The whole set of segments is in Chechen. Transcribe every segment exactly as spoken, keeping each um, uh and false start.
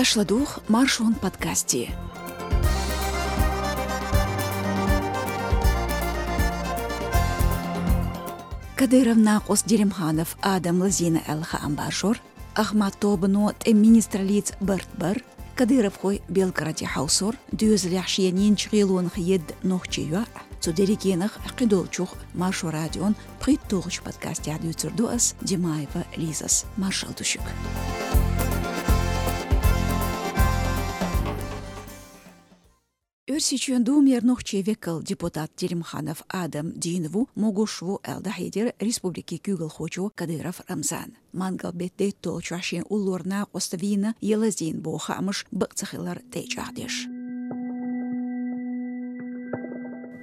Аша ладугӀу Маршон подкасте. Кадыров накъост Делимханов Адам лазийна аьлла хаам баржор, Ахмат тобано тӀеман министраллица барт бар, кадыровхой Белгороде хьовсор, доьзалехь шена йинчу гӀелонах едда нохчийн йоӀ. Цу дерригенах кхидолчух Маршо радион пхийтталгӀачу подкастехь дуьйцур ду ас, Димаева Лизас. Маршалла ду шуьга. Оьрсийчоьнан Думера нохчийн векал, депутат Делимханов Адам дийна ву, могуш ву аьлла дӀахьедира республикин куьйгалхочо Кадыров Рамзана. Мангал-беттан дейтталгӀачохь шен уллора накъост вийна я лазийна боху хаамаш бакъ ца хилар тӀе а чӀагӀдеш.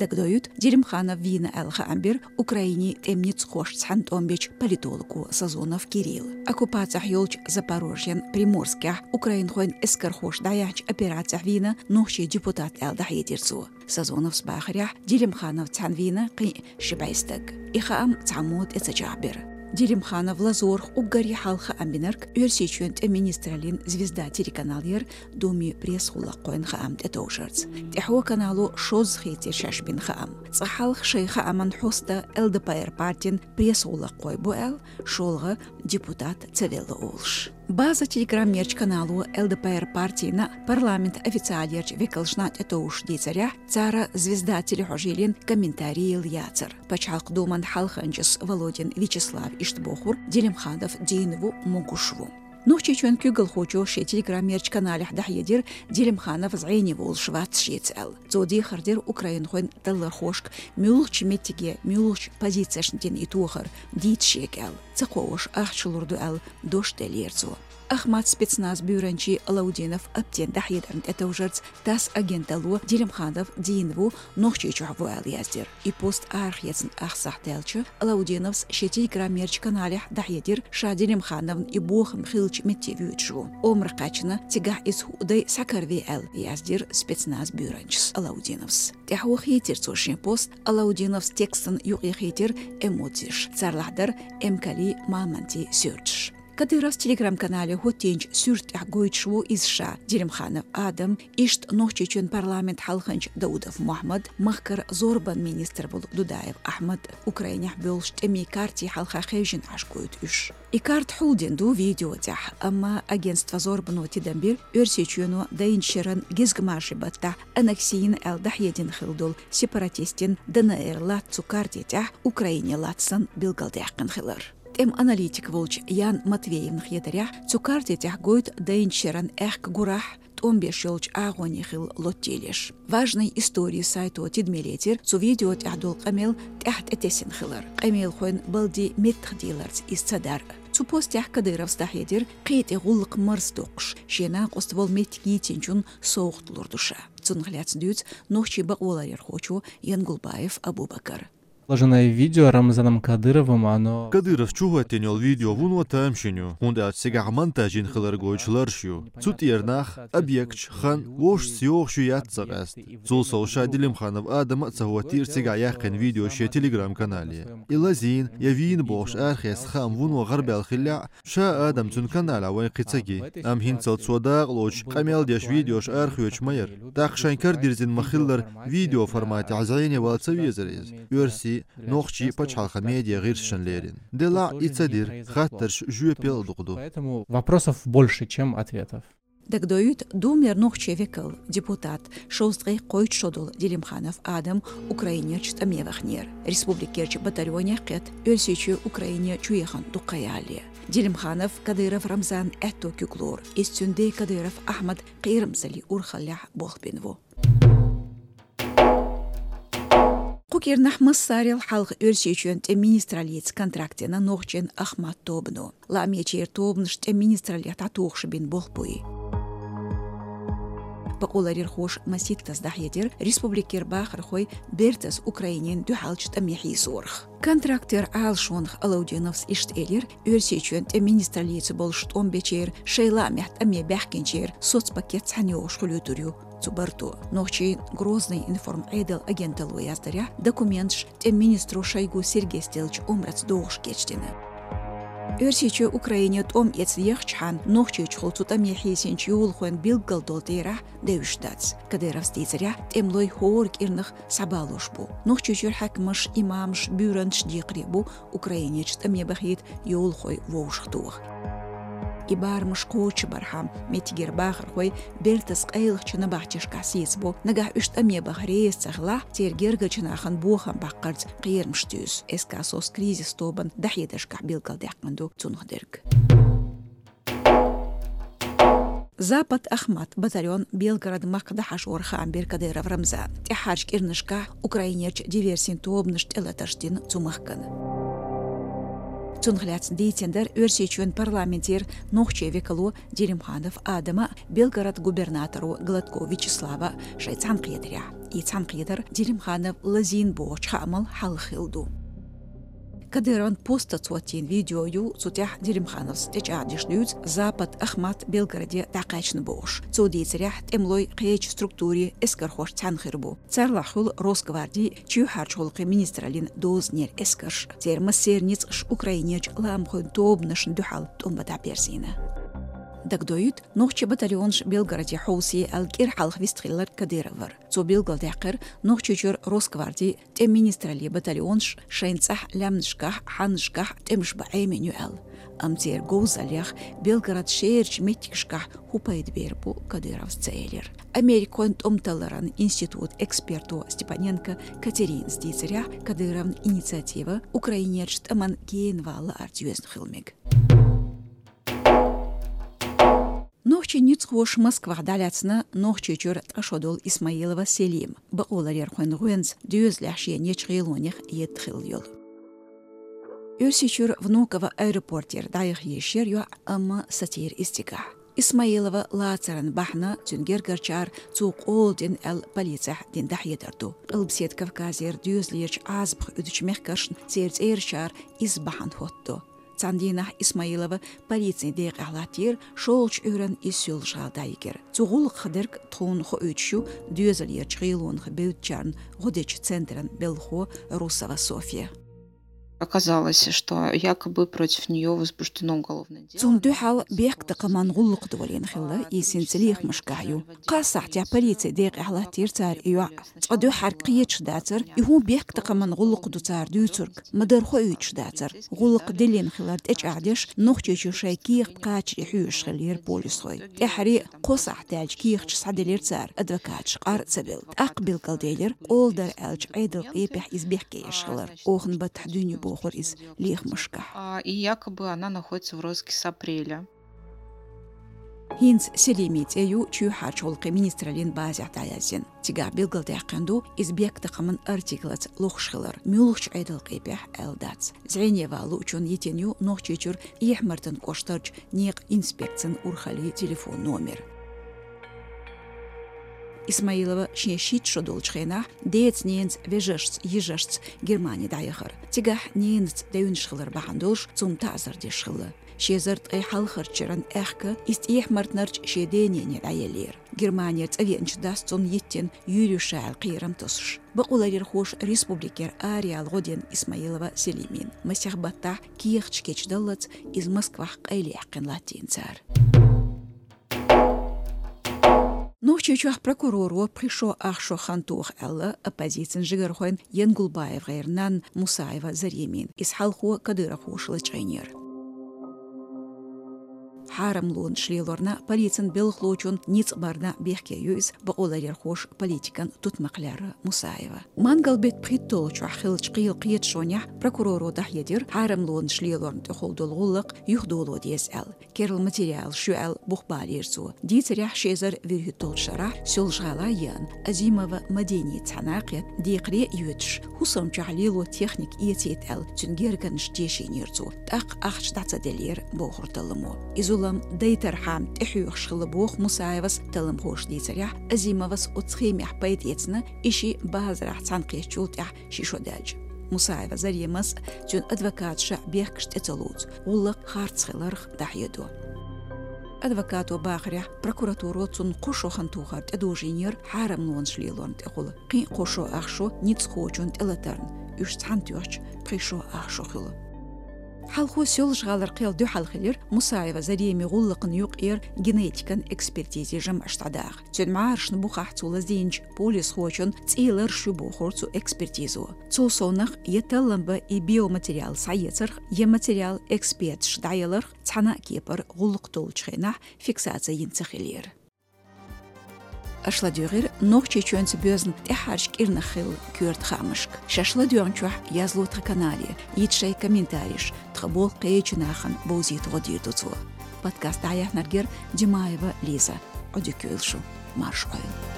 Дагадоуьйту, Делимханов вийна аьлла хаам бира Украинин тӀеман ницкъахошца цхьаьна тӀом бечу политолого Сазонов Кирилла. Оккупацехь йолчу Запорожьен, Приморскехь украинхойн эскархоша дӀаяьхьначу операцехь вийна нохчийн депутат аьлла дӀахьедира цо. Сазоновс бахарехь, Делимхановца цхьаьна вийна кхин а ши бӀе стаг. И хаам цхьаммо тӀе ца чӀагӀбира. Делимханов лазорах уггаре хьалха хаам бинарг Оьрсийчоьнан тӀеман министраллин «Звезда» телеканал яра, Думин пресс-гӀуллакххойн хаам тӀетовжарца. ТӀаьхьо канало шозза хийцира шаьш бина хаам. Цкъа хьалха шайн хааман хьоста ЛДПР партин пресс-гӀуллакххой бу аьлла, шолгӀа депутат ца велла олуш. «База» телеграммерчу канало ЛДПР партина парламентан официалерчу векалшна тӀетовжуш дийцарехь, цара «Звезда» телехьожийлин комментарий елла яцара. Пачхьалкхан Думан хьалханчас Володин Вячеслав иштта бохура: Делимханов дийна ву, могуш ву. Нохчийчоьнан куьйгалхочо шен телеграммерчу каналехь дӀахьедира, Делимханов зӀене волуш вац шеца аьлла. Цо дехар дира украинхойн таллархошка муьлхачу меттиге, муьлхачу позицешна дина и тохар дийца шега аьлла. Ца кхоош ахча лур ду аьлла, дош деллера цо. Ахмат спецназ буьйранчин Алаудинов Аптин дӀахьедарна тӀетовжарца ТАСС агенталло Делимханов дийна ву, Нохчийчохь ву аьлла яздира. И пост арахецна ах сахьт даьлча, Алаудиновс шен телеграммерчу каналехь дӀахьедира, ша Делимхановн и бохам хиллачу метте воьдуш ву. Омра кхаьчна, цигахь иза хӀуъа дай схьакарве аьлла, яздира спецназ буьйранчас Алаудиновс. ТӀаьхьо хийцира цо шен пост, Алаудиновс текстан юкъе хийтира эмоцеш, царлахь дара эмкалий, мамонтий суьрташ. Кадыровс телеграм-канале хӀоттийначу суьрта тӀехь гойтуш ву иза ша, Делимханов Адам, иштта Нохчийчоьнан парламентан хьалханча Даудов Мохьмад, махкара зорбанан министр волу Дудаев Ахьмад, Украинехь болуш тӀемийн карти хьалха хевшина Ӏаш гойту уьш. И карта хьулдина ду видео тӀехь, амма агентство «Зорбано» тидам бира Оьрсийчоьно дайначу шеран гезгмашин баттахь аннексийна аьлла дӀахьедина хилла долу сепаратистийн ДНР латта цу карти тӀехь Украине латта санна билгалдаьккхина хилар. ТӀеман аналитик волчу Ян Матвеевн хетарехь, цу карти тӀехь гойту дайначу шеран аьхка гурахь, тӀом беш йолчу агӀоне хилла лоттийлеш. «Важные истории» сайто тидаме лецира цу видео тӀехь долу къамел тӀаьхьа тӀетесина хилар, къамелхойн балдин меттах дийларца иза ца дар. Цу постехь Кадыровс дӀахьедира, кхетий гӀуллакх марз доккхуш, шен накъост волу меттиг йийцинчунна совгӀат лур ду ша. Цунах лаьцна дуьйцу нохчийн бакъоларъярхочо Янгулбаев Абубакара. Выложенное видео Рамзаном Кадыровым, оно... Кадыровс чухӀоттийна йолу видео вуно тамашийна ю, хӀунда аьлча цигахь монтаж йина хилар гойтуш лараш ю. Цу тӀера нах, объекташ, хан вовшашца йогӀуш ю яц ца къаьста. Цул сов ша Делимханов Адама а ца хӀоттийра цигахь яьккхина видео шен телеграм-канале. И лазийна я вийна бохуш арахецна хаам вуно гӀарабаьлла хиллехь, ша Адам цуьнан каналехь вайн кхин ца ги. Амма хӀинццалц цо дакъалоцуш къамел деш видеош арахоьцуш ма яра. ТӀаккха шайн кара дирзина ма-хиллара видео форматехь зӀене вала ца везара иза. Оьрсийн, нохчийн пачхьалкхан медиа гӀирсашна лерина. Делахь а и ца дира, хаттарш жоьпал а дукха ду. Поэтому вопросов больше, чем ответов. Дагадоуьйту, Думера нохчийн векал, депутат, шовзткъе кхойтта шо долу Делимханов Адам Украинерчу тӀаме ваханера. Республикерчу батальонех кхетта, Оьрсийчоь Украине чу яхана дуккха ялале. Делимханов Кадыров Рамзанан аьтто куьг лору. Иза цуьнан ден Кадыров Ахьмадан кхерамзаллин урхаллехь болх бина ву. Кху кӀирнахь массарел хьалха Оьрсийчоьнан тӀеман министраллица контракт йина нохчийн Ахмат тобано. Лаамечеран тобанаш тӀеман министраллехь дӀатухуш бина болх буй. Бакъоларъярхоша масийттаза дӀахьедира республикера бахархой бертаза Украинина дуьхьалчу тӀаме хьийзорах. Контрактера Ӏалашонах Алаудиновс иштта элира, Оьрсийчоьнан тӀеман министраллица болуш тӀом бечеран, шайн лаамехь тӀаме баьхкинчеран соцпакет цхьаьна йогӀуш хуьлуьйтур ю цу барто. Нохчийн «Грозный информ» Ӏедалан агенталло яздарехь, документаш тӀеман министро Шойгу Сергейс деллачу омраца догӀуш кечдина. Оьрсийчоь Украине тӀом эца ехача хана Нохчийчухула цу тӀаме хьийсинчу йовлахойн билгалдолу тӀерахь девзаш дац. Кадыровс дийцарехь, тӀемалой хӀора кӀирнах схьабалош бу. Нохчийчуьра хьаькамаш, имамаш, буьйранчаш декхаре бу Украинерчу тӀаме бахийта йовлахой вовшахтоха. И барамаш кхочушбархьама меттигера бахархой бертаза къайлахчу набахтешкахь сецабо, нагахь уьш тӀаме баха реза ца хилахь, церан гергарчу нахана бохам баккхарца кхерамаш туьйсу. СК «СОС» кризис тобанан дӀахьедаршкахь билгалдаьккхина ду цунах дерг. «Запад-Ахмат» батальон Белгород-Макка дӀахьажорах хаам бира Кадыров Рамзана. ТӀаьххьарчу кӀирнашкахь Украинерчу диверсийн тобанаша тӀелатарш дина цу махкана. Цунах лаьцна дийцина дара Оьрсийчоьнан парламентера нохчийн векало Делимханов Адама а, Белгород губернаторо Гладков Вячеслава а шайн цхьаьнакхетарехь. И цхьаьнакхетар Делимханов Лазин бохучу хаамал хьалха хилла ду. Кадыровн постаца хӀоттийна видео ю, цу тӀехь Делимхановс тӀечӀагӀдеш дуьйцу «Запад-Ахмат» Белгороде дӀакхаьчна бохуш. Цо дийцарехь, тӀемалой кхечу структурийн эскархошца цхьаьна хир бу. Царлахь хуьлу Росгварди, чоьхьарчу гӀуллакхийн министраллин дозанера эскарш. Церан массеран ницкъаш Украинерчу лаамхойн тобанашна дуьхьал тӀом бан дӀаберзийна. Дагадоуьйту, нохчийн батальонаш Белгороде хьовсий аьлла кӀира хьалха вистхилларг Кадыров вара. Цо билгалдаьккхира, Нохчийчуьра Росгварди, тӀеман министраллин батальонаш шайн цӀахь лаьмнашкахь, хьаннашкахь тӀемаш бан Ӏемина ю аьлла. Амма церан говзаллех Белгород шерачу меттигашкахь хӀун пайда бер бу, Кадыровс ца элира. Америкахойн тӀом талларан институтан эксперто Степаненко Катеринас дийцарехь, Кадыровн инициатива Украинерчу тӀамна генавала лаарца йоьзна хила мега. Нохчийн ницкъахоша Москвахь дӀалаьцна Нохчийчуьра ткъа шо долу Исмаилова Селима, бакъоларъярхойн гӀоьнца доьзалехь шена ечу гӀелонех едда хилла йолу. Оьрсийчуьра Внуково аэропортера дӀаяха езаш яра йоӀ, амма сацийра иза цигахь. Исмаилова лацаран бахьана цуьнан гергарчара цо къола дина аьлла полицехь дина дӀахьедар ду. Къилбаседа Кавказера доьзалерчу Ӏазапах уьдучу мехкаршна церан цӀерачара иза бахьана хӀоттадо. Цхьана дийнахь Исмаилова полицин декъехь латтийра, шолгӀачу Ӏуьйранна иза Соьлжа-ГӀала дӀайигира. Цу гӀуллакхах дерг тхуна хоуьйтуш ю доьзалерчу гӀелонах бевддачарна гӀо дечу центран белхахо Русова Софья. Оказалось, что якобы против неё возбуждено уголовное дело. Цунна дуьхьал бехктакхаман гӀуллакх долийна хилла, иза хӀинца лехамашкахь ю. Кхаа сахьтехь полицин декъехь латтийра цара и йоӀ. Цкъа дуьххьара кхеташ дацара, и хӀун бехктакхаман гӀуллакх ду цара дуьйцург, ма-дарра хоуьйтуш дацара. ГӀуллакх диллина хилар тӀечӀагӀдеш, Нохчийчу шайн кехат кхачаре хьоьжуш хиллера полисхой. ТӀаьххьара кхо сахьт даьлча кехаташ схьаделира цара, адвокаташ къар а ца белла. ТӀаккха билгалделира, къола дара аьллачу Ӏедалан къепехь иза бехке еш хилар. Оханан баттахь дуьйна ю бохура иза лехамашкахь. А, и якобы она находится в розыске с апреля. ХӀинца Селимин цӀе ю чоьхьарчу гӀуллакхийн министраллин базехь дӀаяздина. Цигахь билгалдаьккхина ду, иза бехктакхаман артиклаца лохуш хилар, муьлхачу Ӏедалан къепехь аьлла дац. ЗӀеневан луучунна йитина ю Нохчийчуьра Эхь-Мартан кӀоштарчу некъан инспекцин урхаллин телефон номер. Исмаилова шен шийтта шо долчу хенахь деца-ненаца, вежаршца, йижаршца Германи дӀаяхара. Цигахь ненаца девнаш хилар бахьана долуш цунна таӀзар деш хилла. Ши эзар ткъе хьалхарчу шеран аьхка иза Эхь-Мартанарчу шен денене дӀаеллера. Германера цӀа веанчу дас цунна йиттина юьйр ю ша аьлла кхерам тосуш. Бакъоларъярхоша республикера араяла гӀо дина Исмаилова Селимина. Масех баттахь кехаташ кечдаллалц иза Москвахь къайлаяьккхина латтийна цара. Нохчийчохь прокуроро пхи шо ах шо хан тоха аьлла оппозицин жигархойн ЯнгулбаевгӀеран нанна Мусаева Заремина. Иза хьалхо кадыровхоша лачкъийнера. Хьарамлонаш лелорна, полицин белхалочун ницкъ барна бехке ю иза, бакъоларъярхоша политикан тутмакх лерра Мусаева. Мангал беттан пхийтталгӀачохь хиллачу кхелан кхеташонехь прокуроро дӀахьедира, хьарамлонаш лелорна тӀехула долу гӀуллакх юхадоло деза аьлла. Керла материалаш ю аьлла, бух балийра цо. Дийцарехь, ши эзар вуьрхӀитталгӀачу шарахь Соьлжа-ГӀала а еана, Азимова Мадиница цхьаьна а кхетта, декхаре а йоьдуш, хӀусамчохь лело техника эцийта аьлла, цуьнан гергарнаш тешийнера цо. ТӀаккха ахча дӀа ца деллера, бохура талламо. И зулам дайтархьама тӀехьоьхуш хилла боху Мусаевас. Талламхоша дийцарехь, Азимовас оцу схемехь пайдаэцна, и шиъ базарахь цхьаьна кхеттачул тӀаьхьа ши шо даьлча. Мусаева Заремас а, цуьнан адвокаташа а бехкаш тӀе ца лоцу, гӀуллакх харц хиларх дӀахьедо. Адвокато бахарехь, прокуратуро цунна кхо шо хан тохар тӀедожийнера хьарамлонаш лелорна тӀехула, кхин а кхо шо ах шо ницкъахочун тӀелатарна, уьш цхьаьна тоьхча пхи шо ах шо хуьлу. Хьалхо Соьлжа-ГӀалара кхел дуьхьал хилира Мусаева Заремий гӀуллакхна юкъера генетикан экспертизе жамӀаш дӀадаха. Цуьнан мӀарашна бухахь цо лазийначу полисхочун цӀий ларш ю бохура цу экспертизо. Цул совнаха, я таллам бан и биоматериал схьаэцарх, я материал эксперташа дӀаяларх цхьана а кепара гӀуллакх толлучу хенахь фиксаци йина ца хилира. Аша ладуьйгӀира Нохчийчоьнца боьзна тӀаьххьарчу кӀирнах хилла коьрта хаамашка. Шаьш ладоьгӀначохь язло тхан канале, йита шайн комментареш, тхан болх кхечу нахана бовзийта гӀо дийр ду цо. Подкаст дӀаяьхьнарг яра Димаева Лиза. Ӏодика йойла шу. Марша Ӏойла.